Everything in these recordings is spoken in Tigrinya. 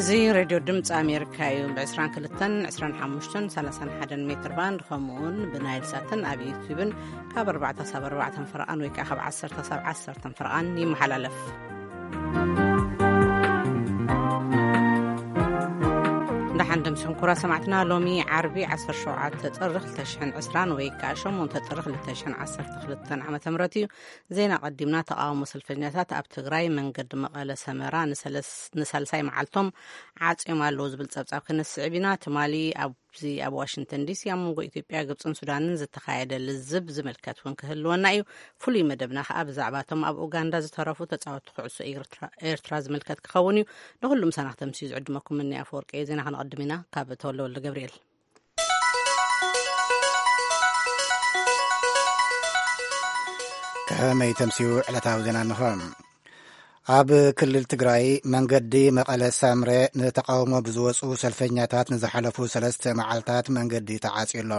እዚ ሬድዮ ድምፂ ኣሜሪካ እዩ። ብ22፣ 25፣ 31 ሜትር ባንድ፣ ከምኡውን ብናይል ሳትን ኣብ ዩቲዩብን ካብ ኣርባዕተ ሳብ ኣርባዕተ ፈረቓን ወይ ከዓ ካብ ዓሰርተ ሳብ ዓሰርተ ፈረቓን ይመሓላለፍ። ደሓን ደምስኹም ክቡራት ሰማዕትና። ሎሚ ዓርቢ 17 ጥሪ 2020 ወይ ከዓ 8 ጥሪ 2012 ዓ.ም እዩ። ዜና ቀዲምና። ተቃውሞ ሰልፈኛታት ኣብ ትግራይ መንገዲ መቐለ ሰመራ ንሰለስ-፣ ንሳልሳይ መዓልቶም ዓጽዮም ኣለዉ ዝብል ጸብጻብ ክነስዕብ ኢና። ትማሊ ኣብዚ ኣብ ዋሽንግተን ዲሲ ኣብ መንጎ ኢትዮጵያ፣ ግብጽን ሱዳንን ዝተኻየደ ልዝብ ዝምልከት እውን ክህልወና እዩ። ፍሉይ መደብና ከኣ ብዛዕባ እቶም ኣብ ኡጋንዳ ዝተረፉ ተጻወትቲ ኩዕሶ ኤርትራ፣ ኤርትራ ዝምልከት ክኸውን እዩ። ንኹሉ ምሳና ክተምስዩ ዝዕድመኩም እኒ ኣፈወርቂ እየ። ዜና ክነቐድም ኢና ካብ ተወልደ ወልደ ገብርኤል። ከመይ ተምስዩ ዕለታዊ ዜና እንሆ። ኣብ ክልል ትግራይ መንገዲ መቐለ ሳምረ ንተቃውሞ ብዝወፁ ሰልፈኛታት ንዝሓለፉ ሰለስተ መዓልታት መንገዲ ተዓፅዩ ኣሎ።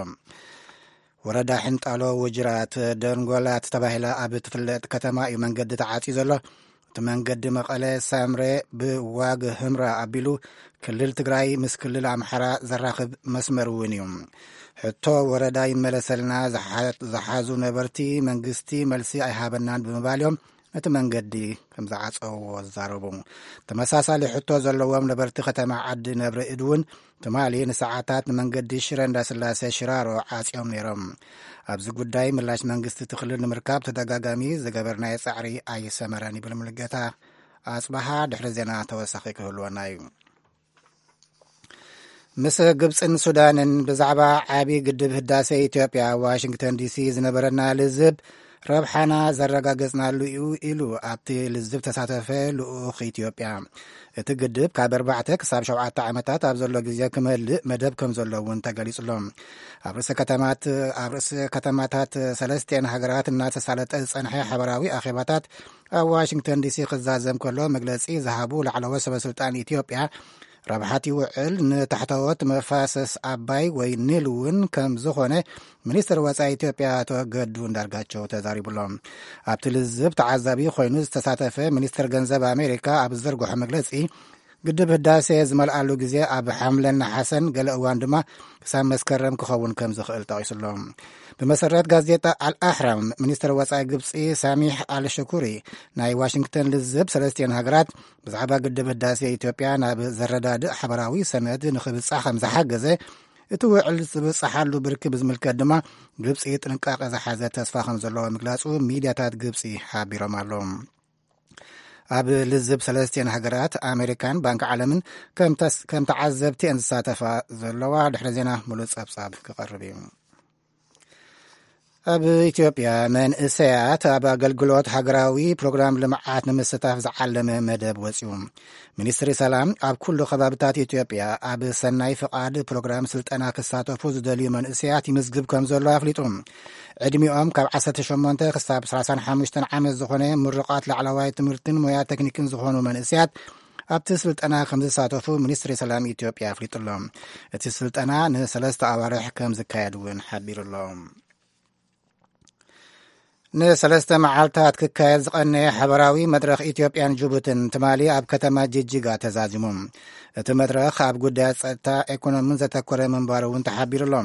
ወረዳ ሕንጣሎ ውጅራት ደንጎላት ተባሂላ ኣብ ትፍለጥ ከተማ እዩ መንገዲ ተዓፅዩ ዘሎ። እቲ መንገዲ መቐለ ሳምረ ብዋግ ህምራ ኣቢሉ ክልል ትግራይ ምስ ክልል ኣምሓራ ዘራኽብ መስመር እውን እዩ። ሕቶ ወረዳ ይመለሰልና ዝሓ-፣ ዝሓዙ ነበርቲ መንግስቲ መልሲ ኣይሃበናን ብምባል እዮም ነቲ መንገዲ ከም ዝዓጸውዎ ዝዛረቡ። ተመሳሳሊ ሕቶ ዘለዎም ነበርቲ ከተማ ዓዲ ነብሪ እድ እውን ትማሊ ንሰዓታት ንመንገዲ ሽረ እንዳስላሴ ሽራሮ ዓጽዮም ነይሮም። ኣብዚ ጉዳይ ምላሽ መንግስቲ እቲ ክልል ንምርካብ ተደጋጋሚ ዝገበርናዮ ጻዕሪ ኣይሰመረን ይብል ሙሉጌታ ኣጽበሃ። ድሕሪ ዜና ተወሳኺ ክህልወና እዩ። ምስ ግብጽን ሱዳንን ብዛዕባ ዓቢ ግድብ ህዳሴ ኢትዮጵያ ኣብ ዋሽንግተን ዲሲ ዝነበረና ልዝብ ረብሓና ዘረጋገጽናሉ እዩ ኢሉ ኣብቲ ልዝብ ተሳተፈ ልኡኽ ኢትዮጵያ። እቲ ግድብ ካብ ኣርባዕተ ክሳብ ሸውዓተ ዓመታት ኣብ ዘሎ ግዜ ክመልእ መደብ ከም ዘሎ እውን ተገሊጹ ኣሎ። ኣብ ርእሰ ከተማት-፣ ኣብ ርእሰ ከተማታት ሰለስቲኤን ሃገራት እናተሳለጠ ዝጸንሐ ሓበራዊ ኣኼባታት ኣብ ዋሽንግተን ዲሲ ክዛዘም ከሎ መግለጺ ዝሃቡ ላዕለዎት ሰበ ስልጣን ኢትዮጵያ ረብሓት ይውዕል ንታሕተዎት መፋሰስ ኣባይ ወይ ኒል እውን ከም ዝኾነ ሚኒስትር ወጻኢ ኢትዮጵያ ኣቶ ገዱ እንዳርጋቸው ተዛሪቡሎም። ኣብቲ ልዝብ ተዓዛቢ ኮይኑ ዝተሳተፈ ሚኒስትር ገንዘብ ኣሜሪካ ኣብ ዝዘርግሖ መግለጺ ግድብ ህዳሴ ዝመልኣሉ ግዜ ኣብ ሓምለን ነሓሰን ገለ እዋን ድማ ክሳብ መስከረም ክኸውን ከም ዝኽእል ጠቒሱሎ። ብመሰረት ጋዜጣ ኣልኣሕራም፣ ሚኒስትር ወጻኢ ግብጺ ሳሚሕ ኣልሽኩሪ ናይ ዋሽንግተን ልዝብ ሰለስቲኤን ሃገራት ብዛዕባ ግድብ ህዳሴ ኢትዮጵያ ናብ ዘረዳድእ ሓበራዊ ሰነድ ንኽብጻሕ ከም ዝሓገዘ፣ እቲ ውዕል ዝብጻሓሉ ብርኪ ብዝምልከት ድማ ግብጺ ጥንቃቄ ዝሓዘ ተስፋ ከም ዘለዎ ምግላጹ ሚድያታት ግብጺ ሓቢሮም ኣለዉ። ኣብ ልዝብ ሰለስቲኤን ሃገራት ኣሜሪካን ባንክ ዓለምን ከም ተስ-፣ ከም ተዓዘብቲ እየን ዝሳተፋ ዘለዋ። ድሕሪ ዜና ሙሉእ ጸብጻብ ክቐርብ እዩ። ኣብ ኢትዮጵያ መንእሰያት ኣብ ኣገልግሎት ሃገራዊ ፕሮግራም ልምዓት ንምስታፍ ዝዓለመ መደብ ወጺኡ። ሚኒስትሪ ሰላም ኣብ ኩሉ ከባብታት ኢትዮጵያ ኣብ ሰናይ ፍቓድ ፕሮግራም ስልጠና ክሳተፉ ዝደልዩ መንእሰያት ይምዝግብ ከም ዘሎ ኣፍሊጡ። ዕድሚኦም ካብ ዓሰርተ ሸሞንተ ክሳብ ሰላሳን ሓሙሽተን ዓመት ዝኾነ ምሩቓት ላዕለዋይ ትምህርትን ሞያ ቴክኒክን ዝኾኑ መንእሰያት ኣብቲ ስልጠና ከም ዝሳተፉ ሚኒስትሪ ሰላም ኢትዮጵያ ኣፍሊጡ ኣሎ። እቲ ስልጠና ንሰለስተ ኣዋርሕ ከም ዝካየድ እውን ሓቢሩ ኣሎ። ንሰለስተ መዓልታት ክካየድ ዝቐነየ ሓበራዊ መድረኽ ኢትዮጵያን ጅቡትን ትማሊ ኣብ ከተማ ጅጅጋ ተዛዚሙ። እቲ መድረኽ ኣብ ጉዳያት ጸጥታ፣ ኢኮኖምን ዘተኮረ ምንባሩ እውን ተሓቢሩ ኣሎ።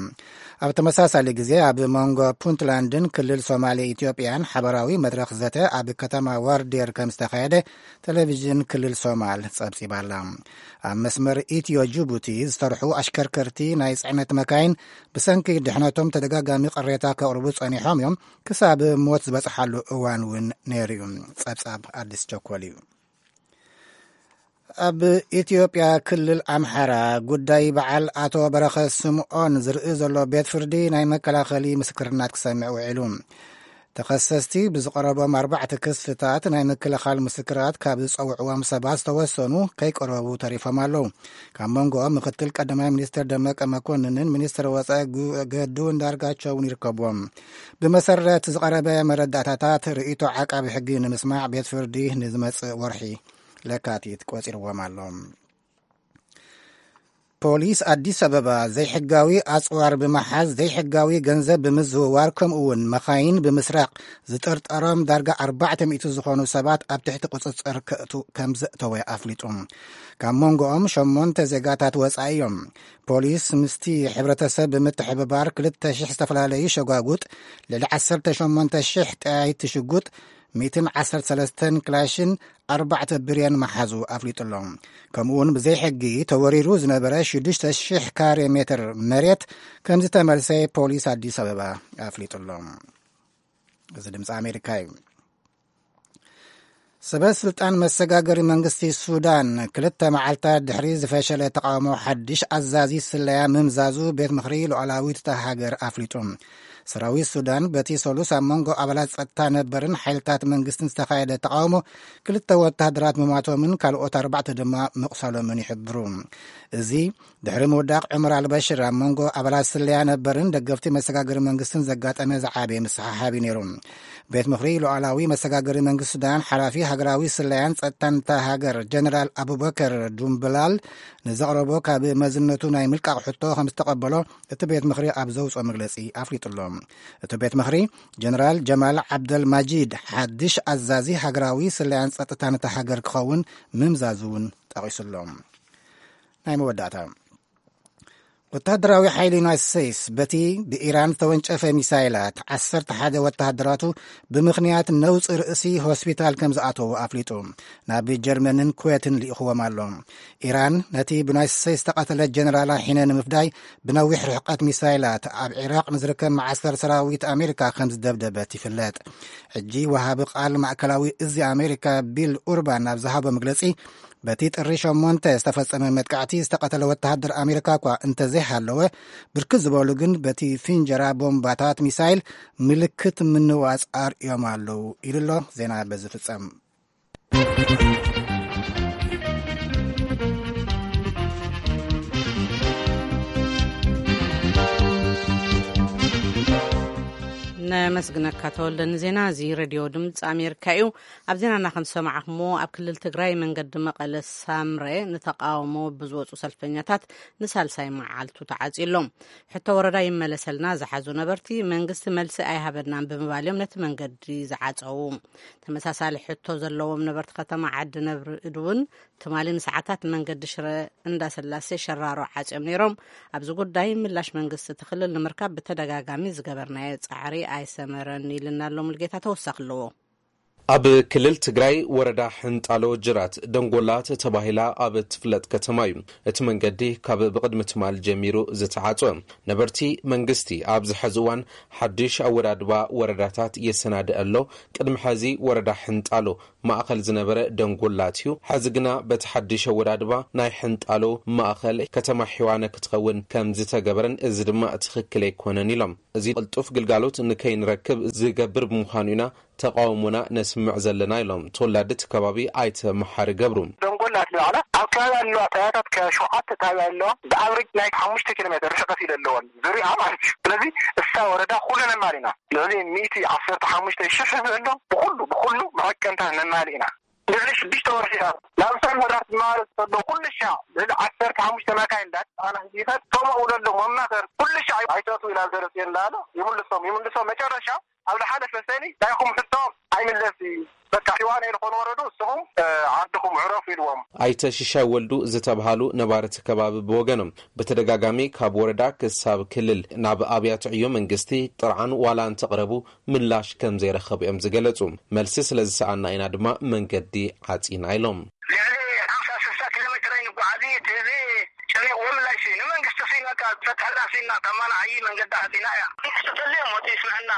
ኣብ ተመሳሳሊ ግዜ ኣብ መንጎ ፑንትላንድን ክልል ሶማሌ ኢትዮጵያን ሓበራዊ መድረኽ ዘተ ኣብ ከተማ ዋርዴር ከም ዝተኻየደ ቴሌቪዥን ክልል ሶማል ጸብጺባ ኣላ። ኣብ መስመር ኢትዮ ጅቡቲ ዝሰርሑ ኣሽከርከርቲ ናይ ጽዕነት መካይን ብሰንኪ ድሕነቶም ተደጋጋሚ ቅሬታ ከቕርቡ ጸኒሖም እዮም። ክሳብ ሞት ዝበጽሓሉ እዋን እውን ነይሩ እዩ። ጸብጻብ ኣዲስ ቸኮል እዩ። ኣብ ኢትዮጵያ ክልል ኣምሓራ ጉዳይ በዓል ኣቶ በረኸት ስምዖን ዝርኢ ዘሎ ቤት ፍርዲ ናይ መከላኸሊ ምስክርናት ክሰምዕ ውዒሉ። ተኸሰስቲ ብዝቐረቦም ኣርባዕተ ክስታት ናይ ምክልኻል ምስክራት ካብ ዝጸውዕዎም ሰባት ዝተወሰኑ ከይቀረቡ ተሪፎም ኣለዉ። ካብ መንጎኦም ምክትል ቀዳማይ ሚኒስትር ደመቀ መኮንንን ሚኒስትር ወጻኢ ጉ-፣ ገዱ እንዳርጋቸውን ይርከብዎም። ብመሰረት ዝቐረበ መረዳእታታት ርእይቶ ዓቃቢ ሕጊ ንምስማዕ ቤት ፍርዲ ንዝመጽእ ወርሒ ለካቲት ቆጺርዎም ኣሎ። ፖሊስ ኣዲስ ኣበባ ዘይሕጋዊ ኣጽዋር ብምሓዝ፣ ዘይሕጋዊ ገንዘብ ብምዝውዋር፣ ከምኡ እውን መኻይን ብምስራቕ ዝጥርጠሮም ዳርጋ ኣርባዕተ ሚእቲ ዝኾኑ ሰባት ኣብ ትሕቲ ቁጽጽር ከእቱ ከም ዘእተወ ኣፍሊጡ። ካብ መንጎኦም ሸሞንተ ዜጋታት ወጻኢ እዮም። ፖሊስ ምስቲ ሕብረተሰብ ብምትሕብባር ክልተ ሽሕ ዝተፈላለዩ ሸጓጉጥ፣ ልዕሊ ዓሰርተ ሸሞንተ ሽሕ ጠያይቲ ሽጉጥ፣ ሚእትን ዓሰርተ ሰለስተን ክላሽን ኣርባዕተ ብሬን መሓዙ ኣፍሊጡ ኣሎ። ከምኡውን ብዘይሕጊ ተወሪሩ ዝነበረ ሽዱሽተ ሽሕ ካሬ ሜትር መሬት ከም ዝተመልሰ ፖሊስ ኣዲስ ኣበባ ኣፍሊጡ ኣሎ። እዚ ድምፂ ኣሜሪካ እዩ። ሰበ ስልጣን መሰጋገሪ መንግስቲ ሱዳን ክልተ መዓልታት ድሕሪ ዝፈሸለ ተቃውሞ ሓድሽ ኣዛዚ ስለያ ምምዛዙ ቤት ምኽሪ ሉዓላዊት እታ ሃገር ኣፍሊጡ። ሰራዊት ሱዳን በቲ ሰሉስ ኣብ መንጎ ኣባላት ጸጥታ ነበርን ሓይልታት መንግስትን ዝተኻየደ ተቃውሞ ክልተ ወታደራት ምማቶምን ካልኦት ኣርባዕተ ድማ ምቕሳሎምን ይሕብሩ። እዚ ድሕሪ ምውዳቕ ዑመር ኣልበሽር ኣብ መንጎ ኣባላት ስለያ ነበርን ደገፍቲ መሰጋገሪ መንግስትን ዘጋጠመ ዝዓበየ ምስሓሓብ እዩ ነይሩ። ቤት ምኽሪ ሉዓላዊ መሰጋገሪ መንግስቲ ሱዳን ሓላፊ ሃገራዊ ስለያን ጸጥታን እታ ሃገር ጀነራል ኣቡበከር ዱምብላል ንዘቕረቦ ካብ መዝነቱ ናይ ምልቃቕ ሕቶ ከም ዝተቐበሎ እቲ ቤት ምኽሪ ኣብ ዘውፅኦ መግለፂ ኣፍሊጡ ኣሎ። እቲ ቤት ምኽሪ ጀነራል ጀማል ዓብደል ማጂድ ሓድሽ ኣዛዚ ሃገራዊ ስለያን ጸጥታን እታ ሃገር ክኸውን ምምዛዙ እውን ጠቒሱ ኣሎ። ናይ መወዳእታ ወታደራዊ ሓይሊ ዩናይትድ ስቴትስ በቲ ብኢራን ዝተወንጨፈ ሚሳይላት ዓሰርተ ሓደ ወታደራቱ ብምኽንያት ነውፂ ርእሲ ሆስፒታል ከም ዝኣተዉ ኣፍሊጡ። ናብ ጀርመንን ኩዌትን ልኢኽዎም ኣሎ። ኢራን ነቲ ብዩናይትድ ስቴትስ ዝተቐተለ ጀነራላ ሒነ ንምፍዳይ ብነዊሕ ርሕቀት ሚሳይላት ኣብ ዒራቅ ንዝርከብ መዓስከር ሰራዊት ኣሜሪካ ከም ዝደብደበት ይፍለጥ። ሕጂ ወሃቢ ቃል ማእከላዊ እዚ ኣሜሪካ ቢል ኡርባን ኣብ ዝሃቦ መግለጺ፣ በቲ ጥሪ ሸሞንተ ዝተፈጸመ መጥቃዕቲ ዝተቐተለ ወተሃደር ኣሜሪካ እኳ እንተዘይሃለወ፣ ብርክት ዝበሉ ግን በቲ ፍንጀራ ቦምባታት ሚሳይል ምልክት ምንዋጽ ኣርእዮም ኣለዉ ኢሉ ኣሎ። ዜና በዚ ፍጸም። ነመስግነካ ተወልደ ንዜና። እዚ ሬድዮ ድምፂ ኣሜሪካ እዩ። ኣብ ዜናና ከም ዝሰማዕኹምዎ፣ ኣብ ክልል ትግራይ መንገዲ መቐለ ሳምረ ንተቃውሞ ብዝወፁ ሰልፈኛታት ንሳልሳይ መዓልቱ ተዓፅዩ ኣሎ። ሕቶ ወረዳ ይመለሰልና ዝሓዙ ነበርቲ መንግስቲ መልሲ ኣይሃበናን ብምባል እዮም ነቲ መንገዲ ዝዓፀዉ። ተመሳሳሊ ሕቶ ዘለዎም ነበርቲ ከተማ ዓዲ ነብሪ እድ እውን ትማሊ ንሰዓታት መንገዲ ሽረ እንዳስላሴ ሸራሮ ዓፅዮም ነይሮም። ኣብዚ ጉዳይ ምላሽ መንግስቲ እቲ ክልል ንምርካብ ብተደጋጋሚ ዝገበርናዮ ፃዕሪ ኣይሰመረን ኢልና ኣሎ ሙልጌታ። ተወሳኺ ኣለዎ። ኣብ ክልል ትግራይ ወረዳ ሕንጣሎ ጅራት ደንጎላ ተባሂላ ኣብ እትፍለጥ ከተማ እዩ እቲ መንገዲ ካብ ብቕድሚ ትማል ጀሚሩ ዝተዓጽወ። ነበርቲ መንግስቲ ኣብዚ ሕዚ እዋን ሓድሽ ኣወዳድባ ወረዳታት የሰናድእ ኣሎ። ቅድሚ ሕዚ ወረዳ ሕንጣሎ ማእኸል ዝነበረ ደንጎላት እዩ። ሕዚ ግና በቲ ሓድሽ ኣወዳድባ ናይ ሕንጣሎ ማእኸል ከተማ ሒዋነ ክትኸውን ከም ዝተገበረን እዚ ድማ ትኽክል ኣይኮነን ኢሎም። እዚ ቅልጡፍ ግልጋሎት ንከይንረክብ ዝገብር ብምዃኑ ኢና ተቃውሞና ነስምዕ ዘለና ኢሎም ተወላዲ እቲ ከባቢ ኣይተ መሓሪ ገብሩ። ደንጎላ ትበዓላ ኣብ ከባቢ ኣለዋ ጣብያታት ከ ሸውዓተ ጣብያ ኣለዋ። ብኣቨሬጅ ናይ ሓሙሽተ ኪሎ ሜትር ርሕቀት ኢለ ኣለወን ዙሪኣ ማለት እዩ። ስለዚ እሳ ወረዳ ኩሉ ነማሊና ልዕሊ ሚእቲ ዓሰርተ ሓሙሽተ ሽሕ ህዝቢ ኣሎ። ብኩሉ ብኩሉ መዐቀንታት ነማሊ ኢና። ልዕሊ ሽዱሽተ ወርሒ ኢና ናብ እሳን ወራት ማለት ዘሎ ኩሉ ሻዕ ልዕሊ ዓሰርተ ሓሙሽተ መካይን እንዳተፃዕና ህዝቢ ይኸድ። ከምኡ እውን ኣሎ መማኸር ኩሉ ሻዕ ኣይተእትዉ ኢላ ዘረፅዮ እንዳለ ይምልሶም ይምልሶም መጨረሻ ኣብ ዝሓለፈ ሰኒ ናይኹም ሕቶ ኣይምለስ እዩ። በቃ ሒዋነ ኢልኮን ወረዱ እስኹም ዓድኹም ዕረፉ ኢልዎም። ኣይተ ሽሻይ ወልዱ ዝተብሃሉ ነባርቲ ከባቢ ብወገኖም ብተደጋጋሚ ካብ ወረዳ ክሳብ ክልል ናብ ኣብያተ ዕዮ መንግስቲ ጥርዓን ዋላ እንተቕረቡ ምላሽ ከም ዘይረኸቡ እዮም ዝገለጹ። መልሲ ስለ ዝሰኣና ኢና ድማ መንገዲ ዓጺና ኢሎም። ልዕሊ ሓምሳ ስሳ ኪሎ ሜትር ኣይንጓዓዝ እዩ። እቲ ህዝቢ ጨኒቕዎ ምላሽ እዩ። ንመንግስቲ ሲ በቃ ዝፈትሐልና ሲ እናተማና ዓዪ መንገዲ ዓጺና እያ። መንግስቲ ተልዮም ወፂ ይስምዐና።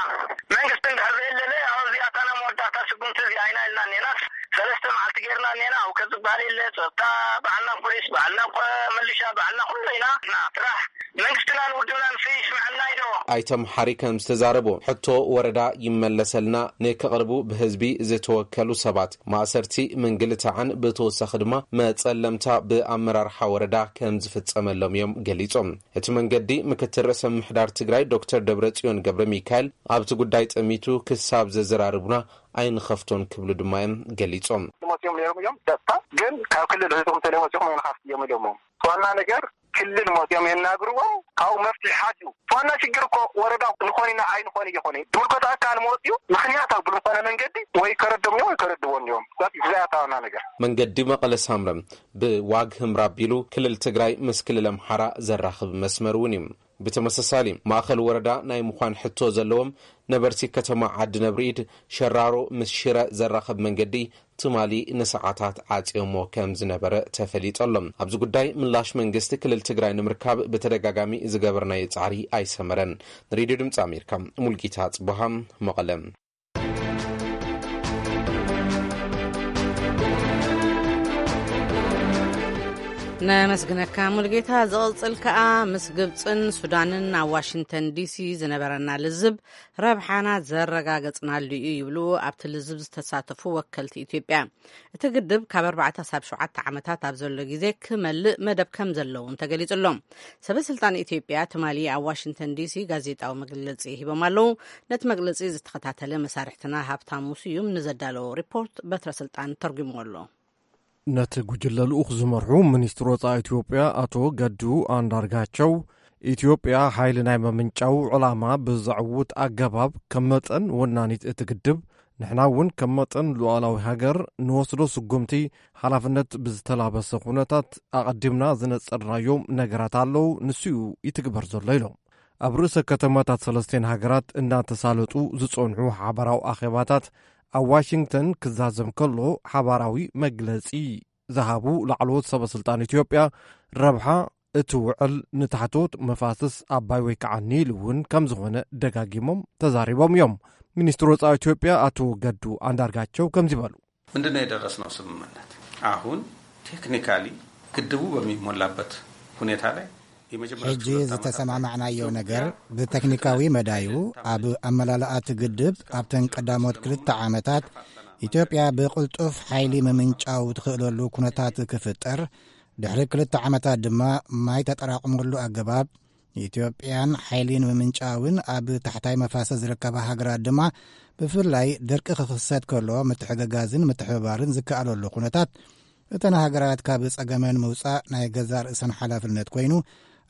መንግስቲ እንድሕር ዘየለለ ኣብዚ ኣታና መወዳእታ ስጉምቲ እዚ ኣይና ኢልና እኔናስ ሰለስተ መዓልቲ ጌርና እኔና። ኣብ ከዚ ዝበሃል የለ። ጸጥታ ባዕልና፣ ፖሊስ ባዕልና፣ ቆ-፣ ምልሻ ባዕልና፣ ኩሉ ኢና። እና ስራሕ መንግስትናን ውድብናን ሲ ይስምዐና ኢዶ? ኣይተ መሓሪ ከም ዝተዛረቡ፣ ሕቶ ወረዳ ይመለሰልና ንክቕርቡ ብህዝቢ ዝተወከሉ ሰባት፣ ማእሰርቲ፣ ምንግልታዕን ብተወሳኺ ድማ መጸለምታ ብኣመራርሓ ወረዳ ከም ዝፍጸመሎም እዮም ገሊጾም። እቲ መንገዲ ምክትል ርእሰ ምምሕዳር ትግራይ ዶክተር ደብረጽዮን ገብረ ሚካኤል ኣብቲ ጉዳይ ጠሚቱ ክሳብ ዘዘራርቡና ኣይንኸፍቶን ክብሉ ድማ እዮም ገሊጾም። መፅኦም ነይሮም እዮም። ጸጥታ ግን ካብ ክልል ህዝቦም ተለይ መፅኦም ኣይንኸፍት እዮም ኢሎሞ። ዋና ነገር ክልል መፅኦም የናግርዎም። ካብኡ መፍትሒ ሓትዩ። ዋና ሽግር እኮ ወረዳ ንኾን ኢና ኣይንኾን እየኾነ ዝምልከቶ ኣካል መፅኡ ምክንያታዊ ብዝኾነ መንገዲ ወይ ከረዶም እዮም ወይ ከረድዎም እዮም። እዚኣ እታ ዋና ነገር። መንገዲ መቐለ ሳምረ ብዋግ ህምራ ኣቢሉ ክልል ትግራይ ምስ ክልል ኣምሓራ ዘራኽብ መስመር እውን እዩ። ብተመሳሳሊ ማእኸል ወረዳ ናይ ምዃን ሕቶ ዘለዎም ነበርቲ ከተማ ዓዲ ነብርኢድ፣ ሸራሮ ምስ ሽረ ዘራኽብ መንገዲ ትማሊ ንሰዓታት ዓፅዮሞ ከም ዝነበረ ተፈሊጡ ኣሎ። ኣብዚ ጉዳይ ምላሽ መንግስቲ ክልል ትግራይ ንምርካብ ብተደጋጋሚ ዝገበርናዮ ፃዕሪ ኣይሰመረን። ንሬድዮ ድምፂ ኣሜሪካ ሙልጌታ ጽቡሃ፣ መቐለ። ነመስግነካ ሙልጌታ። ዝቕጽል ከኣ ምስ ግብጽን ሱዳንን ኣብ ዋሽንግተን ዲሲ ዝነበረና ልዝብ ረብሓና ዘረጋገጽናሉ እዩ ይብሉ ኣብቲ ልዝብ ዝተሳተፉ ወከልቲ ኢትዮጵያ። እቲ ግድብ ካብ ኣርባዕተ ሳብ ሸውዓተ ዓመታት ኣብ ዘሎ ግዜ ክመልእ መደብ ከም ዘለውን ተገሊጹ ኣሎ። ሰበ ስልጣን ኢትዮጵያ ትማሊ ኣብ ዋሽንግተን ዲሲ ጋዜጣዊ መግለጺ ሂቦም ኣለዉ። ነቲ መግለጺ ዝተኸታተለ መሳርሕትና ሃብታሙ ስዩም ንዘዳለዎ ሪፖርት በትረ ስልጣን ተርጉምዎ ኣሎ። ነቲ ጉጅለ ልኡኽ ዝመርሑ ሚኒስትር ወጻኢ ኢትዮጵያ ኣቶ ገዱ ኣንዳርጋቸው፣ ኢትዮጵያ ሓይሊ ናይ ምምንጫው ዕላማ ብዘዕውት ኣገባብ ከም መጠን ወናኒት እቲ ግድብ፣ ንሕና እውን ከም መጠን ሉዓላዊ ሃገር ንወስዶ ስጉምቲ ሓላፍነት ብዝተላበሰ ኩነታት ኣቐዲምና ዝነጸርናዮም ነገራት ኣለዉ፣ ንሱ'ዩ ይትግበር ዘሎ ኢሎም። ኣብ ርእሰ ከተማታት ሰለስቴን ሃገራት እናተሳለጡ ዝጸንሑ ሓባራዊ ኣኼባታት ኣብ ዋሽንግተን ክዛዘም ከሎ ሓባራዊ መግለጺ ዝሃቡ ላዕለዎት ሰበ ስልጣን ኢትዮጵያ ረብሓ እቲ ውዕል ንታሕተዎት መፋስስ ኣባይ ወይ ከዓ ኒል እውን ከም ዝኾነ ደጋጊሞም ተዛሪቦም እዮም። ሚኒስትር ወፃኢ ኢትዮጵያ ኣቶ ገዱ ኣንዳርጋቸው ከምዚ በሉ። ምንድነው የደረስነው ስምምነት? አሁን ቴክኒካሊ ግድቡ በሚሞላበት ሁኔታ ላይ የመጀመሪያዎቹ ሕጂ ሁለት ዓመታት ላይ ዝተሰማማዕናዮ ነገር ብቴክኒካዊ መዳዩ ኣብ ኣመላልኣቲ ግድብ ኣብተን ቀዳሞት ክልተ ዓመታት ኢትዮጵያ ብቕልጡፍ ሓይሊ ምምንጫው ትኽእለሉ ኩነታት ክፍጠር፣ ድሕሪ ክልተ ዓመታት ድማ ማይ ተጠራቕመሉ ኣገባብ ኢትዮጵያን ሓይሊ ንምምንጫውን ኣብ ታሕታይ መፋሰስ ዝርከባ ሃገራት ድማ ብፍላይ ድርቂ ክኽሰት ከሎ ምትሕግጋዝን ምትሕብባርን ዝከኣለሉ ኩነታት እተን ሃገራት ካብ ጸገመን ምውጻእ ናይ ገዛእ ርእሰን ሓላፍነት ኮይኑ፣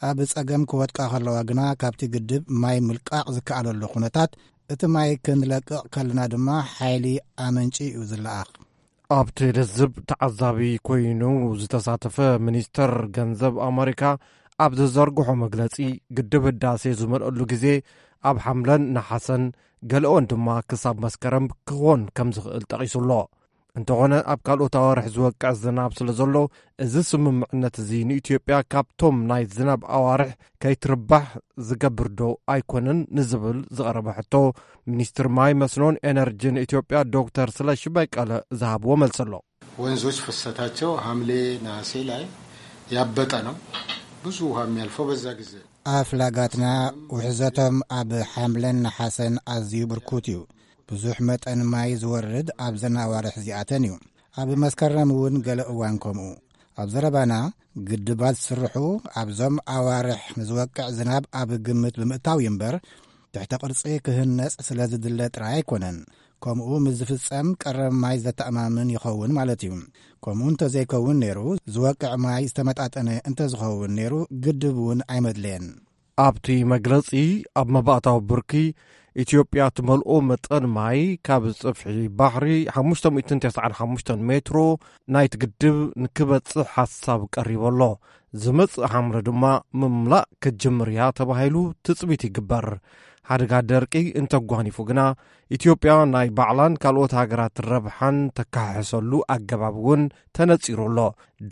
ኣብ ጸገም ክወድቃ ከለዋ ግና ካብቲ ግድብ ማይ ምልቃቕ ዝከኣለሉ ኩነታት፣ እቲ ማይ ክንለቅቕ ከለና ድማ ሓይሊ ኣመንጭ እዩ ዝለኣኽ። ኣብቲ ልዝብ ተዓዛቢ ኮይኑ ዝተሳተፈ ሚኒስተር ገንዘብ ኣመሪካ ኣብ ዝዘርግሖ መግለጺ፣ ግድብ ህዳሴ ዝመልአሉ ግዜ ኣብ ሓምለን ነሓሰን፣ ገለኦን ድማ ክሳብ መስከረም ክኾን ከም ዝኽእል ጠቒሱ ኣሎ። እንተኾነ ኣብ ካልኦት ኣዋርሕ ዝወቅዕ ዝናብ ስለ ዘሎ፣ እዚ ስምምዕነት እዚ ንኢትዮጵያ ካብቶም ናይ ዝናብ ኣዋርሕ ከይትርባሕ ዝገብር ዶ ኣይኮነን ንዝብል ዝቐረበ ሕቶ፣ ሚኒስትር ማይ መስኖን ኤነርጂን ኢትዮጵያ ዶክተር ስለሺ በቀለ ዝሃብዎ መልሲ ኣሎ። ወንዞች ፍሰታቸው ሐምሌ ነሐሴ ላይ ያበጠ ነው። ብዙ ውሃ የሚያልፈው በዛ ጊዜ። ኣፍላጋትና ውሕዘቶም ኣብ ሓምለን ነሓሰን ኣዝዩ ብርኩት እዩ። ብዙሕ መጠን ማይ ዝወርድ ኣብዘን ኣዋርሕ እዚኣተን እዩ። ኣብ መስከረም እውን ገለ እዋን ከምኡ። ኣብ ዘረባና፣ ግድባት ዝስርሑ ኣብዞም ኣዋርሕ ንዝወቅዕ ዝናብ ኣብ ግምት ብምእታው እዩ እምበር፣ ትሕተ ቅርጺ ክህነጽ ስለ ዝድለ ጥራይ ኣይኮነን። ከምኡ ምስ ዝፍጸም ቀረብ ማይ ዘተኣማምን ይኸውን ማለት እዩ። ከምኡ እንተዘይከውን ነይሩ፣ ዝወቅዕ ማይ ዝተመጣጠነ እንተዝኸውን ነይሩ፣ ግድብ እውን ኣይመድለየን። ኣብቲ መግለጺ፣ ኣብ መባእታዊ ብርኪ ኢትዮጵያ ትመልኦ መጠን ማይ ካብ ጽፍሒ ባሕሪ ሓሙሽተ ሚእትን ተስዓን ሓሙሽተን ሜትሮ ናይቲ ግድብ ንክበጽሕ ሓሳብ ቀሪቡ ኣሎ። ዝመጽእ ሓምለ ድማ ምምላእ ክትጅምር እያ ተባሂሉ ትጽቢት ይግበር። ሓደጋ ደርቂ እንተጓኒፉ ግና፣ ኢትዮጵያ ናይ ባዕላን ካልኦት ሃገራት ረብሓን ተካሕሕሰሉ ኣገባብ እውን ተነጺሩ ኣሎ።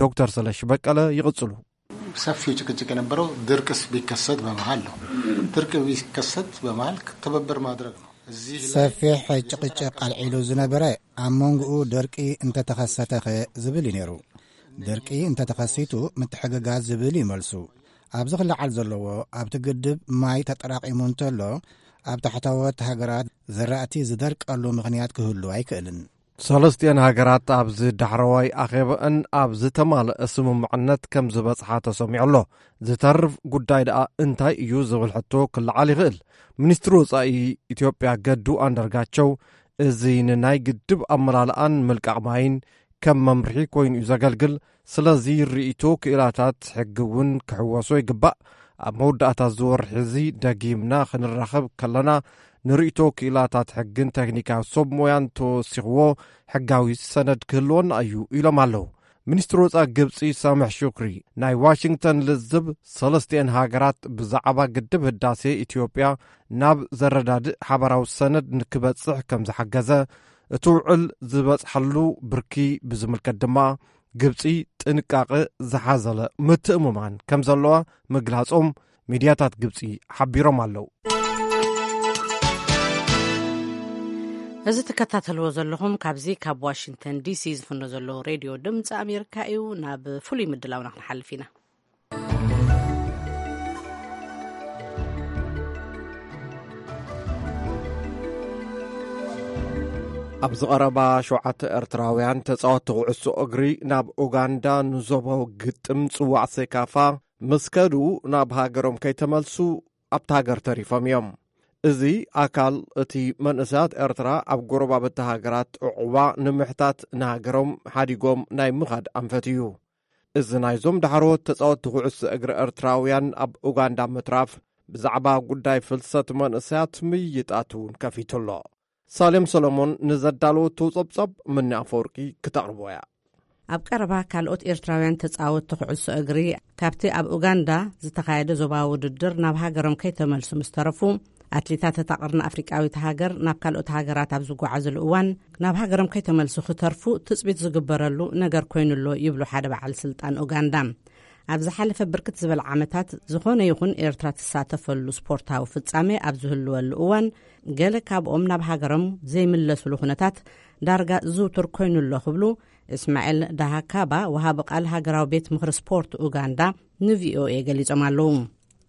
ዶክተር ስለሺ በቀለ ይቕጽሉ። ሰፊው ጭቅጭቅ የነበረው ድርቅስ ቢከሰት በመሃል ነው። ድርቅ ቢከሰት በመሃል ክትብብር ማድረግ ነው። እዚህ ላይ ሰፊሕ ጭቅጭቅ ኣልዒሉ ዝነበረ ኣብ መንጎኡ ደርቂ እንተተኸሰተኸ ዝብል እዩ ነይሩ። ደርቂ እንተተኸሲቱ ምትሕግጋዝ ዝብል እዩ መልሱ። ኣብዚ ክለዓል ዘለዎ ኣብቲ ግድብ ማይ ተጠራቒሙ እንተሎ ኣብ ታሕተዎት ሃገራት ዘራእቲ ዝደርቀሉ ምኽንያት ክህሉ ኣይክእልን። ሰለስቲኤን ሃገራት ኣብዚ ዳሕረዋይ ኣኼባኣን ኣብ ዝተማልአ ስምምዕነት ከም ዝበጽሓ ተሰሚዑ ኣሎ። ዝተርፍ ጉዳይ ደኣ እንታይ እዩ ዝብል ሕቶ ክለዓል ይኽእል። ሚኒስትሪ ወጻኢ ኢትዮጵያ ገዱ ኣንዳርጋቸው እዚ ንናይ ግድብ ኣመላልኣን ምልቃቕ ማይን ከም መምርሒ ኮይኑ እዩ ዘገልግል። ስለዚ ርእይቶ ክኢላታት ሕጊ እውን ክሕወሶ ይግባእ። ኣብ መወዳእታ እዚ ወርሒ እዚ ደጊምና ክንራኸብ ከለና ንርእይቶ ክኢላታት ሕግን ቴክኒካዊ ሰብ ሞያን ተወሲኽዎ ሕጋዊ ሰነድ ክህልወና እዩ ኢሎም ኣለዉ። ሚኒስትሪ ወጻኢ ግብጺ ሳምሕ ሹክሪ ናይ ዋሽንግተን ልዝብ ሰለስቲኤን ሃገራት ብዛዕባ ግድብ ህዳሴ ኢትዮጵያ ናብ ዘረዳድእ ሓባራዊ ሰነድ ንክበጽሕ ከም ዝሓገዘ፣ እቲ ውዕል ዝበጽሓሉ ብርኪ ብዝምልከት ድማ ግብጺ ጥንቃቐ ዝሓዘለ ምትእምማን ከም ዘለዋ ምግላጾም ሚድያታት ግብጺ ሓቢሮም ኣለዉ። እዚ ትከታተልዎ ዘለኹም ካብዚ ካብ ዋሽንግተን ዲሲ ዝፍኖ ዘሎ ሬድዮ ድምፂ ኣሜሪካ እዩ። ናብ ፍሉይ ምድላውና ክንሓልፍ ኢና። ኣብዚ ቀረባ ሸውዓተ ኤርትራውያን ተጻወትቲ ኩዕሶ እግሪ ናብ ኡጋንዳ ንዞባዊ ግጥም ጽዋዕ ሴካፋ ምስ ከዱ ናብ ሃገሮም ከይተመልሱ ኣብታ ሃገር ተሪፎም እዮም። እዚ ኣካል እቲ መንእሰያት ኤርትራ ኣብ ጎረባብቲ ሃገራት ዕቑባ ንምሕታት ንሃገሮም ሓዲጎም ናይ ምኻድ ኣንፈት እዩ። እዚ ናይዞም ዳሕረዎት ተጻወትቲ ኩዕሶ እግሪ ኤርትራውያን ኣብ ኡጋንዳ ምትራፍ ብዛዕባ ጉዳይ ፍልሰት መንእሰያት ምይይጣት እውን ከፊቱ ኣሎ። ሳሌም ሰሎሞን ንዘዳለወቶ ጸብጻብ ምኒ ኣፈወርቂ ክተቕርቦ እያ። ኣብ ቀረባ ካልኦት ኤርትራውያን ተጻወትቲ ኩዕሶ እግሪ ካብቲ ኣብ ኡጋንዳ ዝተኻየደ ዞባዊ ውድድር ናብ ሃገሮም ከይተመልሱ ምስ ተረፉ፣ ኣትሌታት እታ ቅርኒ ኣፍሪቃዊት ሃገር ናብ ካልኦት ሃገራት ኣብ ዝጓዓዝሉ እዋን ናብ ሃገሮም ከይተመልሱ ክተርፉ ትጽቢት ዝግበረሉ ነገር ኮይኑ ኣሎ ይብሉ ሓደ በዓል ስልጣን ኡጋንዳ። ኣብ ዝሓለፈ ብርክት ዝበለ ዓመታት ዝኾነ ይኹን ኤርትራ ትሳተፈሉ ስፖርታዊ ፍጻሜ ኣብ ዝህልወሉ እዋን ገለ ካብኦም ናብ ሃገሮም ዘይምለሱሉ ኩነታት ዳርጋ ዝውቱር ኮይኑ ኣሎ ክብሉ እስማኤል ዳሃካባ፣ ወሃቢ ቃል ሃገራዊ ቤት ምኽሪ ስፖርት ኡጋንዳ፣ ንቪኦኤ ገሊጾም ኣለዉ።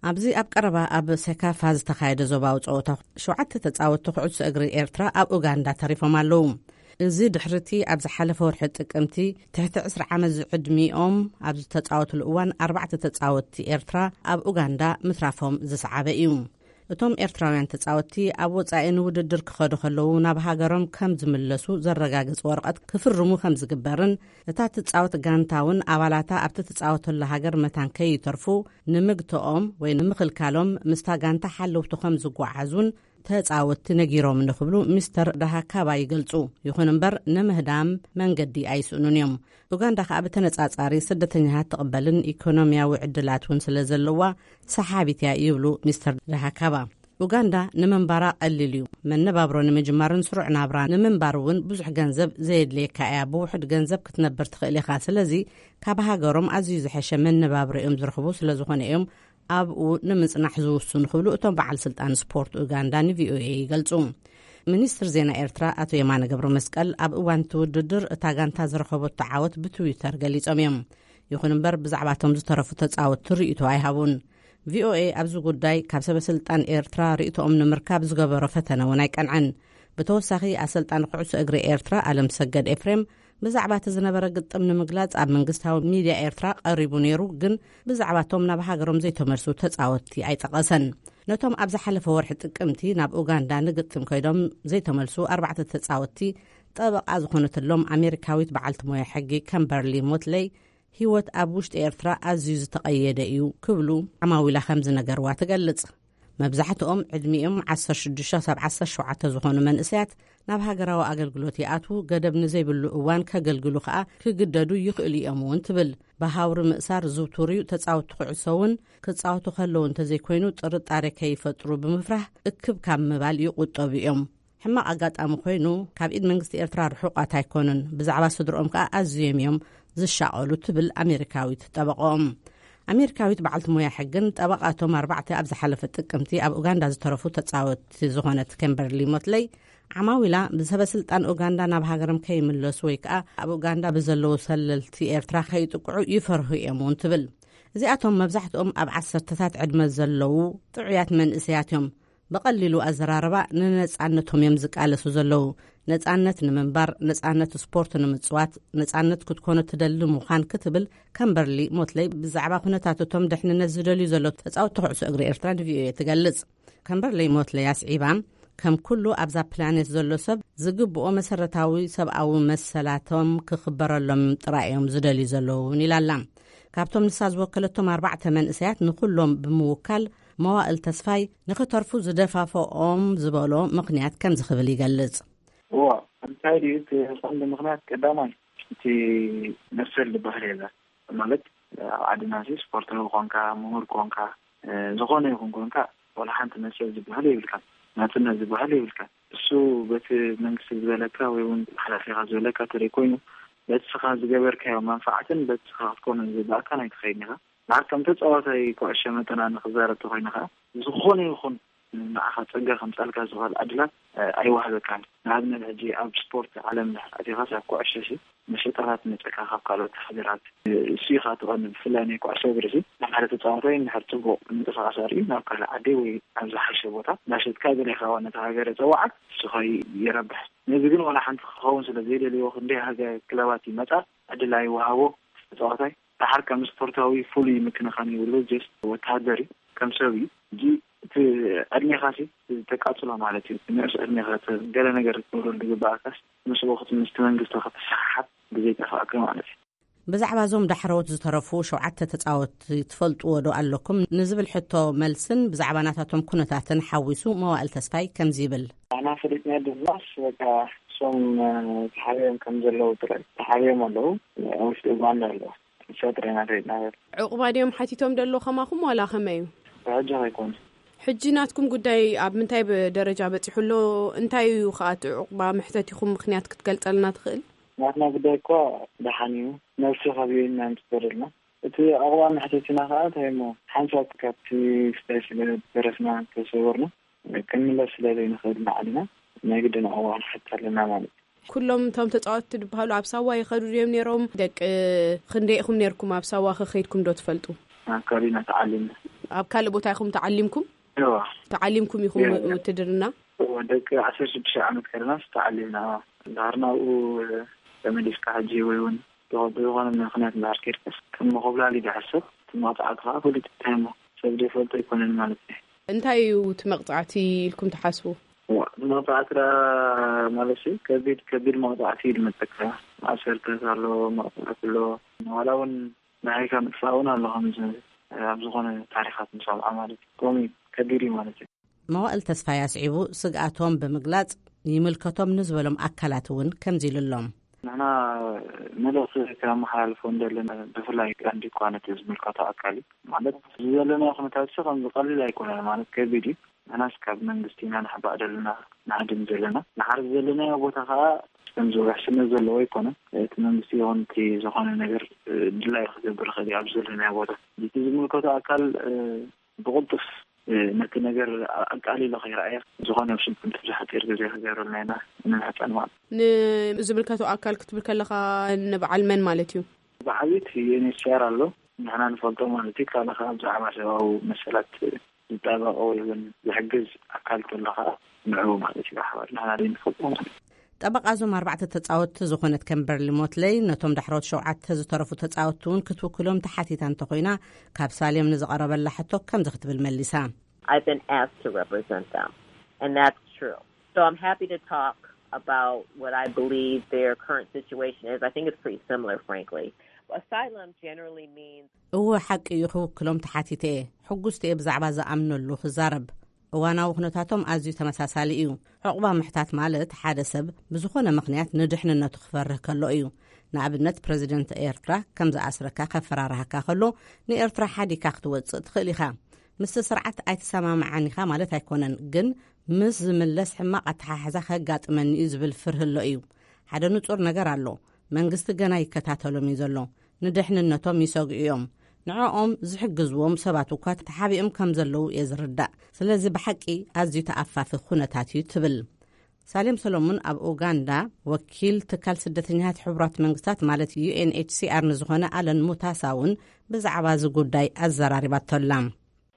ኣብዚ ኣብ ቀረባ ኣብ ሴካፋ ዝተኻየደ ዞባዊ ጸወታ ሸውዓተ ተጻወትቲ ኩዕሶ እግሪ ኤርትራ ኣብ ኡጋንዳ ተሪፎም ኣለዉ። እዚ ድሕሪቲ ኣብ ዝሓለፈ ወርሒ ጥቅምቲ ትሕቲ ዕስራ ዓመት ዝዕድሚኦም ኣብ ዝተጻወትሉ እዋን ኣርባዕተ ተጻወትቲ ኤርትራ ኣብ ኡጋንዳ ምትራፎም ዝሰዓበ እዩ። እቶም ኤርትራውያን ተጻወትቲ ኣብ ወጻኢ ንውድድር ክኸዱ ከለዉ ናብ ሃገሮም ከም ዝምለሱ ዘረጋግጽ ወረቐት ክፍርሙ ከም ዝግበርን እታ ትጻወት ጋንታ እውን ኣባላታ ኣብቲ ትጻወተሉ ሃገር መታን ከይተርፉ ንምግትኦም ወይ ንምኽልካሎም ምስታ ጋንታ ሓለውቲ ከም ዝጓዓዙን ተጻወትቲ ነጊሮም ንክብሉ ሚስተር ዳሃካባ ይገልጹ። ይኹን እምበር ንምህዳም መንገዲ ኣይስእኑን እዮም። ኡጋንዳ ከኣ ብተነጻጻሪ ስደተኛታት ትቕበልን ኢኮኖሚያዊ ዕድላት እውን ስለ ዘለዋ ሰሓቢት እያ ይብሉ ሚስተር ዳሃካባ። ኡጋንዳ ንምንባራ ቀሊል እዩ። መነባብሮ ንምጅማርን ስሩዕ ናብራ ንምንባር እውን ብዙሕ ገንዘብ ዘየድልየካ እያ። ብውሑድ ገንዘብ ክትነብር ትኽእል ኢኻ። ስለዚ ካብ ሃገሮም ኣዝዩ ዝሐሸ መነባብሮ እዮም ዝረኽቡ። ስለ ዝኾነ እዮም ኣብኡ ንምጽናሕ ዝውስኑ ክብሉ እቶም በዓል ስልጣን ስፖርት ኡጋንዳ ንቪኦኤ ይገልጹ። ሚኒስትር ዜና ኤርትራ ኣቶ የማነ ገብረ መስቀል ኣብ እዋን እቲ ውድድር እታ ጋንታ ዝረኸበቶ ዓወት ብትዊተር ገሊጾም እዮም። ይኹን እምበር ብዛዕባቶም ዝተረፉ ተጻወትቲ ርእይቶ ኣይሃቡን። ቪኦኤ ኣብዚ ጉዳይ ካብ ሰበ ስልጣን ኤርትራ ርእይቶኦም ንምርካብ ዝገበሮ ፈተነ እውን ኣይቀንዐን። ብተወሳኺ ኣሰልጣኒ ኩዕሶ እግሪ ኤርትራ ኣለም ሰገድ ኤፍሬም ብዛዕባ እቲ ዝነበረ ግጥም ንምግላጽ ኣብ መንግስታዊ ሚድያ ኤርትራ ቀሪቡ ነይሩ፣ ግን ብዛዕባቶም ናብ ሃገሮም ዘይተመልሱ ተጻወትቲ ኣይጠቐሰን። ነቶም ኣብ ዝሓለፈ ወርሒ ጥቅምቲ ናብ ኡጋንዳ ንግጥም ከይዶም ዘይተመልሱ ኣርባዕተ ተጻወትቲ ጠበቓ ዝኾነትሎም ኣሜሪካዊት በዓልቲ ሞያ ሕጊ ከምበርሊ ሞትለይ፣ ህይወት ኣብ ውሽጢ ኤርትራ ኣዝዩ ዝተቐየደ እዩ ክብሉ ዓማዊላ ከም ዝነገርዋ ትገልጽ። መብዛሕትኦም ዕድሚኦም ዓሰርተ ሽዱሽተ ክሳብ ዓሰርተ ሸውዓተ ዝኾኑ መንእሰያት ናብ ሃገራዊ ኣገልግሎት ይኣትዉ፣ ገደብ ንዘይብሉ እዋን ከገልግሉ ከኣ ክግደዱ ይኽእሉ እዮም እውን ትብል። ብሃውሪ ምእሳር ዝውቱር እዩ። ተጻወትቲ ኩዕሶ እውን ክጻወቱ ከለዉ እንተዘይኮይኑ ጥርጣሬ ከይፈጥሩ ብምፍራህ እክብ ካብ ምባል ይቑጠቡ እዮም። ሕማቕ ኣጋጣሚ ኮይኑ ካብ ኢድ መንግስቲ ኤርትራ ርሑቓት ኣይኮኑን። ብዛዕባ ስድርኦም ከኣ ኣዝዮም እዮም ዝሻቐሉ ትብል ኣሜሪካዊት ጠበቕኦም። ኣሜሪካዊት በዓልቲ ሞያ ሕግን ጠበቓቶም ኣርባዕተ ኣብ ዝሓለፈ ጥቅምቲ ኣብ ኡጋንዳ ዝተረፉ ተጻወትቲ ዝኾነት ከምበርሊ ሞትለይ ዓማዊላ ብሰበ ስልጣን ኡጋንዳ ናብ ሃገሮም ከይምለሱ ወይ ከኣ ኣብ ኡጋንዳ ብዘለዉ ሰለልቲ ኤርትራ ከይጥቅዑ ይፈርሁ እዮም እውን ትብል። እዚኣቶም መብዛሕትኦም ኣብ ዓሰርተታት ዕድመ ዘለዉ ጥዑያት መንእሰያት እዮም። ብቐሊሉ ኣዘራርባ ንነጻነቶም እዮም ዝቃለሱ ዘለዉ። ነጻነት ንምንባር፣ ነጻነት ስፖርት ንምጽዋት፣ ነጻነት ክትኮኖ ትደሊ ምዃን ክትብል ከምበርሊ ሞትለይ ብዛዕባ ኩነታት እቶም ድሕንነት ዝደልዩ ዘለዉ ተጻወትቲ ኩዕሶ እግሪ ኤርትራ ንቪኦኤ ትገልጽ። ከምበርሊ ሞትለይ ኣስዒባ፣ ከም ኩሉ ኣብዛ ፕላኔት ዘሎ ሰብ ዝግብኦ መሰረታዊ ሰብኣዊ መሰላቶም ክኽበረሎም ጥራይ እዮም ዝደልዩ ዘለዉ እውን ኢላ ኣላ። ካብቶም ንሳ ዝወከለቶም ኣርባዕተ መንእሰያት ንኹሎም ብምውካል፣ መዋእል ተስፋይ ንኽተርፉ ዝደፋፈኦም ዝበሎ ምኽንያት ከምዚ ክብል ይገልጽ። እዋ፣ እንታይ ድዩ እቲ ቀንዲ ምኽንያት? ቀዳማይ፣ እቲ መሰል ዝበሃል የለን። ማለት፣ ኣብ ዓድና ሲ ስፖርታዊ ኮንካ፣ ምሁር ኮንካ፣ ዝኾነ ይኹን ኮንካ፣ ዋላ ሓንቲ መሰል ዝበሃል የብልካ፣ ናጽነት ዝበሃል የብልካ። እሱ በቲ መንግስቲ ዝበለካ ወይ እውን ሓላፊኻ ዝበለካ ተለይ ኮይኑ፣ በቲ ስኻ ዝገበርካዮ መንፋዓትን በቲ ስኻ ክትኮኖ ዝግባእካን ኣይትኸይድን ኢኻ። ንዓካ ከም ተጻዋታይ ኩዕሾ መጠን ኣነ ክዛረብ ተኮይነ ከኣ፣ ዝኾነ ይኹን ንዓኻ ጸጋ ከምጻልካ ዝኽእል ዕድላት ኣይወሃበካን። ንኣብነት፣ ሕጂ ኣብ ስፖርት ዓለም ኣቲኻስ ኣብ ኩዕሾ ሲ መሸጣታት መጸካ ካብ ካልኦት ሃገራት፣ እሱ ኢኻ ትቐንድ። ብፍላይ ናይ ኩዕሶ እግሪ ሲ ንሓደ ተጻዋታይ እንድሕር ጽቡቕ ምንቅስቃስ ኣርእዩ ናብ ካልእ ዓዲ ወይ ኣብ ዝሓሸ ቦታ እንዳሸጥካ ገለ ኢኻ ነታ ሃገር የጸውዓት፣ እሱ ኸ ይረብሕ። ነዚ ግን ዋላ ሓንቲ ክኸውን ስለ ዘይደልይዎ፣ ክንደይ ሃገር ክለባት ይመጻ፣ ዕድል ኣይወሃቦ ተጻዋታይ። ደሓር ከም ስፖርታዊ ፍሉይ ምክንኻን ይብሉ፣ ጀስት ወተሃደር እዩ፣ ከም ሰብ እዩ። እንጂ እቲ ዕድሜኻሲ ተቃጽሎ ማለት እዩ። ንእስ ዕድሜኻ ተ-፣ ገለ ነገር ክትገብረሉ ዝግባኣካስ ምስኡ ክት-፣ ምስቲ መንግስቲ ክትሰሓሓብ ግዜ ይጠፍኣካ ማለት እዩ። ብዛዕባ እዞም ዳሕረዎት ዝተረፉ ሸውዓተ ተጻወትቲ ትፈልጥዎ ዶ ኣለኩም ንዝብል ሕቶ መልስን ብዛዕባ ናታቶም ኩነታትን ሓዊሱ መዋእል ተስፋይ ከምዚ ይብል። ኣና ፈሊጥና ድማስ በቃ እሶም ተሓቢኦም ከም ዘለዉ ጥራይ ተሓቢኦም ኣለዉ። ኣብ ውሽጢ ኡጋንዳ ኣለዉ። እሳ ጥራይ ኢና ፈሊጥና። ዕቑባ ድዮም ሓቲቶም ደሎ ከማኹም ዋላ ከመይ እዩ? ብሕጂ ከይኮነ። ሕጂ ናትኩም ጉዳይ ኣብ ምንታይ ብ-፣ ደረጃ በጺሑ ኣሎ? እንታይ እዩ ከኣ እቲ ዕቑባ መሕተቲኹም ምኽንያት ክትገልጸልና ትኽእል? ናትና ጉዳይ እኳ ደሓን እዩ። ነብሲ ከቢኡና ንጽበረልና። እቲ ዕቑባ መሕተቲና ከኣ እንታይ እሞ ሓንሳብ ካብቲ ስታይ ስለ ተረፍና ተሰወርና ክንምለስ ስለ ዘይንኽእል ንዓድና ናይ ግድን ዕቑባ ክንሓትት ኣለና ማለት እዩ። ኩሎም እቶም ተጻወትቲ ዝበሃሉ ኣብ ሳዋ ይኸዱ ድዮም ነይሮም? ደቂ ክንደይ ኢኹም ነይርኩም? ኣብ ሳዋ ከ ከይድኩም ዶ ትፈልጡ? ኣብ ከባቢና ተዓሊምና። ኣብ ካልእ ቦታ ኢኹም ተዓሊምኩም? እዋ። ተዓሊምኩም ኢኹም እዋ። ውትድርና? እዋ፣ ደቂ ዓሰርተ ሽዱሽተ ዓመት ከለናስ ተዓሊምና። እዋ። እንድሕር ናብኡ ተመሊስካ ሕጂ ወይ እውን ብኸ-፣ ብዝኾነ ምኽንያት እንድሕር ከይድካስ ከም መኾብላሊ ድሕር ሰብ እቲ መቕጻዕቲ ከዓ ፍሉጥ እንታይ እሞ ሰብ ዘይፈልጦ ኣይኮነን ማለት እዩ። እንታይ እዩ እቲ መቕጻዕቲ ኢልኩም ትሓስቡ? እዋ፣ መቕጻዕቲ ደኣ ማለት እዩ፣ ከቢድ፣ ከቢድ መቕጻዕቲ እዩ ዝመጸካ። ማእሰርትታት ኣሎ፣ መቕጻዕቲ ኣሎ። ዋላ እውን ንዓይካ ምጥፋእ እውን ኣሎ፣ ከምዚ ኣብ ዝኾነ ታሪኻት ንሰምዖ ማለት እዩ። ከምኡ እዩ፣ ከቢድ እዩ ማለት እዩ። መዋእል ተስፋይ ኣስዒቡ ስግኣቶም ብምግላጽ፣ ይምልከቶም ንዝበሎም ኣካላት እውን ከምዚ ኢሉ ኣሎ። ንሕና መልእኽቲ ከመሓላልፎ እንደለና፣ ብፍላይ ቀንዲ እኳ ነቲ ዝምልከቶ ኣካል እዩ። ማለት፣ እዚ ዘለናዮ ኩነታት ሲ ከምዚ ቀሊል ኣይኮነን፣ ማለት ከቢድ እዩ። ንሕናስ ካብ መንግስቲ ኢና ንሕባእ ዘለና፣ ንሃድም ዘለና። ንሓርስ ዘለናዮ ቦታ ከዓ ከምዚ ውሕስነት ዘለዎ ኣይኮነን። እቲ መንግስቲ ይኹን እቲ ዝኾነ ነገር ድላዩ ክገብር ይኽእል እዩ ኣብዚ ዘለናዮ ቦታ። እቲ ዝምልከቶ ኣካል ብቕልጡፍ ነቲ ነገር ኣቃሊሉ ከይረኣየ ዝኾነ ኣብ ስልጣን ብዙሕ ሓፂር ግዜ ክገብረልና ኢና ንምሕፀን ማለት እዩ። ንዝምልከቶ ኣካል ክትብል ከለኻ ንበዓል መን ማለት እዩ? ብዓብይቲ ዩኤንኤችሲኣር ኣሎ፣ ንሕና ንፈልጦ ማለት እዩ። ካልእ ከዓ ብዛዕባ ሰብኣዊ መሰላት ዝጣበቕ ወይ እውን ዝሕግዝ ኣካል ተሎ ከዓ ንዕኡ ማለት እዩ ብሓባር ንሕና ዘይንፈልጦ ማለት እዩ። ጠበቓ እዞም ኣርባዕተ ተጻወትቲ ዝኾነት ከምበርሊ ሞትለይ፣ ነቶም ዳሕሮት ሸውዓተ ዝተረፉ ተጻወትቲ እውን ክትውክሎም ተሓቲታ እንተኾይና፣ ካብ ሳሌም ንዝቐረበላ ሕቶ ከምዚ ክትብል መሊሳ። I've been asked to represent them, and that's true. So I'm happy to talk about what I believe their current situation is. I think it's pretty similar, frankly. Asylum generally means እወ፣ ሓቂ እዩ፣ ክውክሎም ተሓቲተ እየ። ሕጉስቲ እየ ብዛዕባ ዝኣምነሉ ክዛረብ። እዋናዊ ኩነታቶም ኣዝዩ ተመሳሳሊ እዩ። ዕቑባ ምሕታት ማለት ሓደ ሰብ ብዝኾነ ምኽንያት ንድሕንነቱ ክፈርህ ከሎ እዩ። ንኣብነት፣ ፕረዚደንት ኤርትራ ከም ዝኣስረካ ከፈራርሃካ ከሎ፣ ንኤርትራ ሓዲካ ክትወጽእ ትኽእል ኢኻ። ምስቲ ስርዓት ኣይትሰማምዓን ኢኻ ማለት ኣይኮነን፣ ግን ምስ ዝምለስ ሕማቕ ኣተሓሕዛ ከጋጥመኒ እዩ ዝብል ፍርሂ ኣሎ እዩ። ሓደ ንጹር ነገር ኣሎ። መንግስቲ ገና ይከታተሎም እዩ ዘሎ። ንድሕንነቶም ይሰግኡ እዮም። ንዕኦም ዝሕግዝዎም ሰባት እኳ ተሓቢኦም ከም ዘለዉ እየ ዝርዳእ። ስለዚ ብሓቂ ኣዝዩ ተኣፋፊ ኩነታት እዩ ትብል። ሳሌም ሰሎሙን ኣብ ኡጋንዳ ወኪል ትካል ስደተኛታት ሕቡራት መንግስታት ማለት ዩኤንኤችሲኣር ንዝኾነ ኣለን ሙታሳ እውን ብዛዕባ እዚ ጉዳይ ኣዘራሪባቶ ኣላ።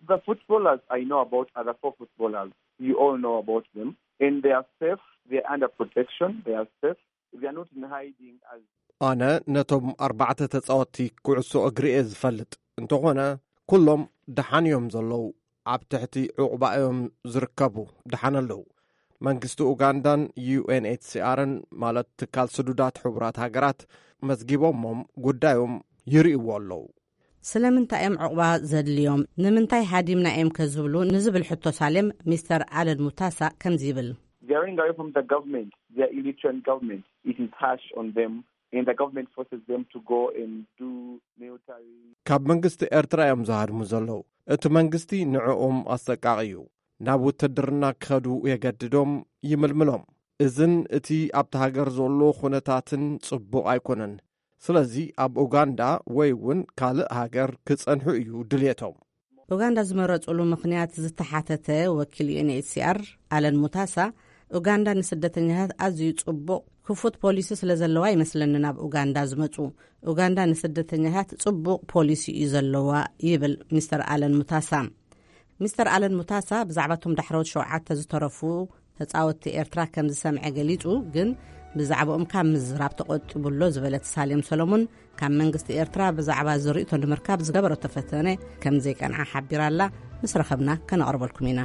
The footballers I know about are the four footballers. You all know about them. And they are safe. They are under protection. They are safe. They are not in hiding as ኣነ ነቶም ኣርባዕተ ተጻወትቲ ኩዕሶ እግሪ እየ ዝፈልጥ። እንተኾነ ኩሎም ደሓን እዮም ዘለዉ። ኣብ ትሕቲ ዕቑባ እዮም ዝርከቡ። ደሓን ኣለዉ። መንግስቲ ኡጋንዳን ዩ ኤን ኤች ሲ ኣርን፣ ማለት ትካል ስዱዳት ሕቡራት ሃገራት፣ መዝጊቦሞም ጉዳዮም ይርእይዎ ኣለዉ። ስለምንታይ እዮም ዕቑባ ዘድልዮም? ንምንታይ ሃዲምና እዮም ከዝብሉ ንዝብል ሕቶ ሳሌም፣ ሚስተር ኣለን ሙታሳ ከምዚ ይብል። They are running away from the government, the Eritrean government. It is harsh on them. And the government forces them to go and do military. ካብ መንግስቲ ኤርትራ እዮም ዝሃድሙ ዘለዉ። እቲ መንግስቲ ንዕኦም ኣሰቃቒ እዩ። ናብ ውትድርና ክኸዱ የገድዶም፣ ይምልምሎም። እዝን እቲ ኣብቲ ሃገር ዘሎ ኩነታትን ጽቡቕ ኣይኮነን። ስለዚ ኣብ ኡጋንዳ ወይ እውን ካልእ ሃገር ክጸንሑ እዩ ድልየቶም። ኡጋንዳ ዝመረጹሉ ምኽንያት ዝተሓተተ ወኪል ዩ ኤን ኤች ሲ ኣር ኣለን ሙታሳ፣ ኡጋንዳ ንስደተኛታት ኣዝዩ ጽቡቕ ክፉት ፖሊሲ ስለ ዘለዋ ይመስለኒ ናብ ኡጋንዳ ዝመጹ። ኡጋንዳ ንስደተኛታት ጽቡቕ ፖሊሲ እዩ ዘለዋ፣ ይብል ሚስተር ኣለን ሙታሳ። ሚስተር ኣለን ሙታሳ ብዛዕባ እቶም ዳሕረዎት ሸውዓተ ዝተረፉ ተጻወትቲ ኤርትራ ከም ዝሰምዐ ገሊጹ፣ ግን ብዛዕባኦም ካብ ምዝራብ ተቖጢቡ ኣሎ ዝበለት ሳሌም ሰሎሞን፣ ካብ መንግስቲ ኤርትራ ብዛዕባ ዝርእቶ ንምርካብ ዝገበረቶ ፈተነ ከም ዘይቀንዓ ሓቢራ ኣላ። ምስ ረኸብና ከነቕርበልኩም ኢና።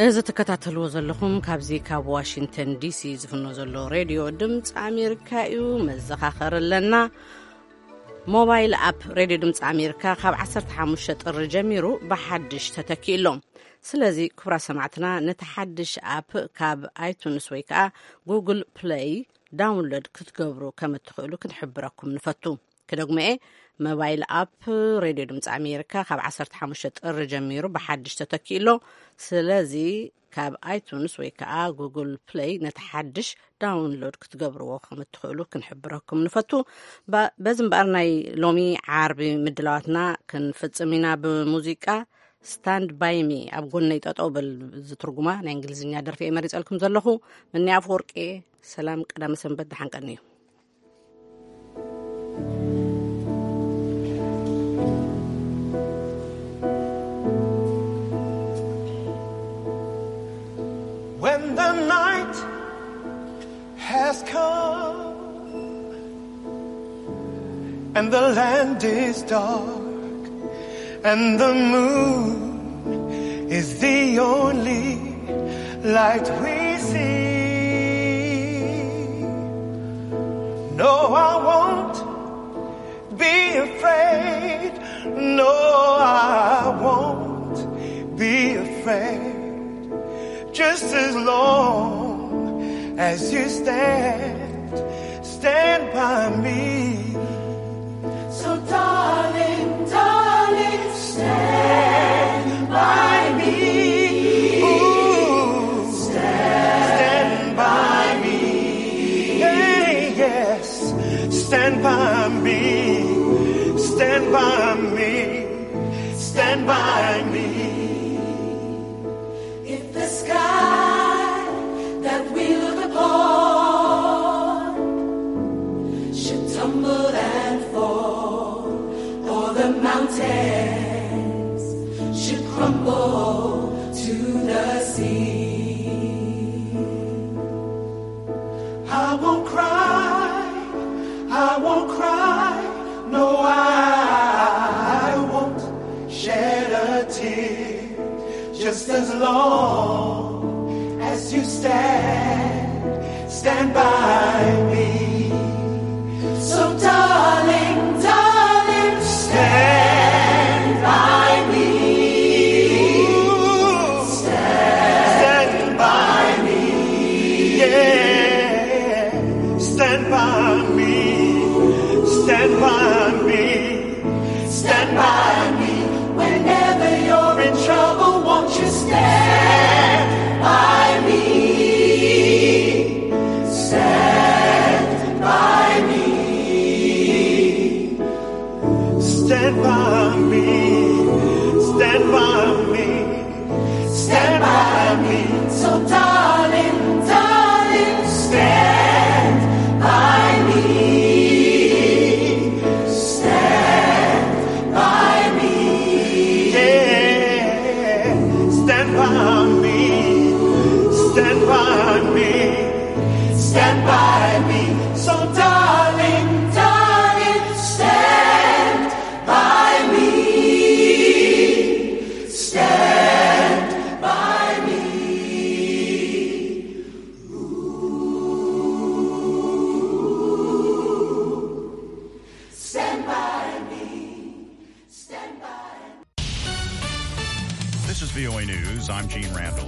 እዚ ትከታተልዎ ዘለኹም ካብዚ ካብ ዋሽንግተን ዲ ሲ ዝፍኖ ዘሎ ሬድዮ ድምፂ ኣሜሪካ እዩ። መዘኻኸሪ ኣለና። ሞባይል ኣፕ ሬድዮ ድምፂ ኣሜሪካ ካብ ዓሰርተ ሓሙሽተ ጥሪ ጀሚሩ ብሓድሽ ተተኪኡ ኣሎ። ስለዚ ክቡራት ሰማዕትና፣ ነቲ ሓድሽ ኣፕ ካብ ኣይቱንስ ወይ ከዓ ጉግል ፕለይ ዳውንሎድ ክትገብሩ ከም እትኽእሉ ክንሕብረኩም ንፈቱ። ክደግሞ እየ፣ ሞባይል ኣፕ ሬድዮ ድምፂ ኣሜሪካ ካብ ዓሰርተ ሓሙሽተ ጥሪ ጀሚሩ ብሓድሽ ተተኪኡ ኣሎ። ስለዚ ካብ ኣይቱንስ ወይ ከዓ ጉግል ፕለይ ነቲ ሓድሽ ዳውንሎድ ክትገብርዎ ከም እትኽእሉ ክንሕብረኩም ንፈቱ። በ-፣ በዚ እምበኣር ናይ ሎሚ ዓርቢ ምድላዋትና ክንፍጽም ኢና ብሙዚቃ። ስታንድ ባይ ሚ፣ ኣብ ጎነይ ጠጠው በል፣ ዝትርጉማ ናይ እንግሊዝኛ ደርፊ እየ መሪጸልኩም ዘለኹ። ምኒ ኣፈወርቂ እየ። ሰላም፣ ቀዳመ ሰንበት፣ ደሓን ቀንዩ። When the night has come and the land is dark and the moon is the only light we see. No, I won't be afraid. No, I won't be afraid. Just as long as you stand, stand by me. So, darling, darling, stand by me. Ooh, stand by me. Hey, yes, stand by me. Stand by me. Stand by me. If the sky that we look upon should tumble and fall, or the mountains should crumble to the sea, I won't cry, I won't cry, no, I won't shed a tear. Just as long as you stand, stand by me. So, darling, darling, stand by me. Stand by me. Yeah. Stand by me. Stand by me. Stand by me whenever you're in trouble. Won't you stand by me? Stand by me. Stand by me. Stand by me. Stand by me. So, darling, darling, stand by me. Stand by me. Yeah. Stand by me. Stand by me. Stand by me. So, darling, darling, stand by me. I'm Gene Rand.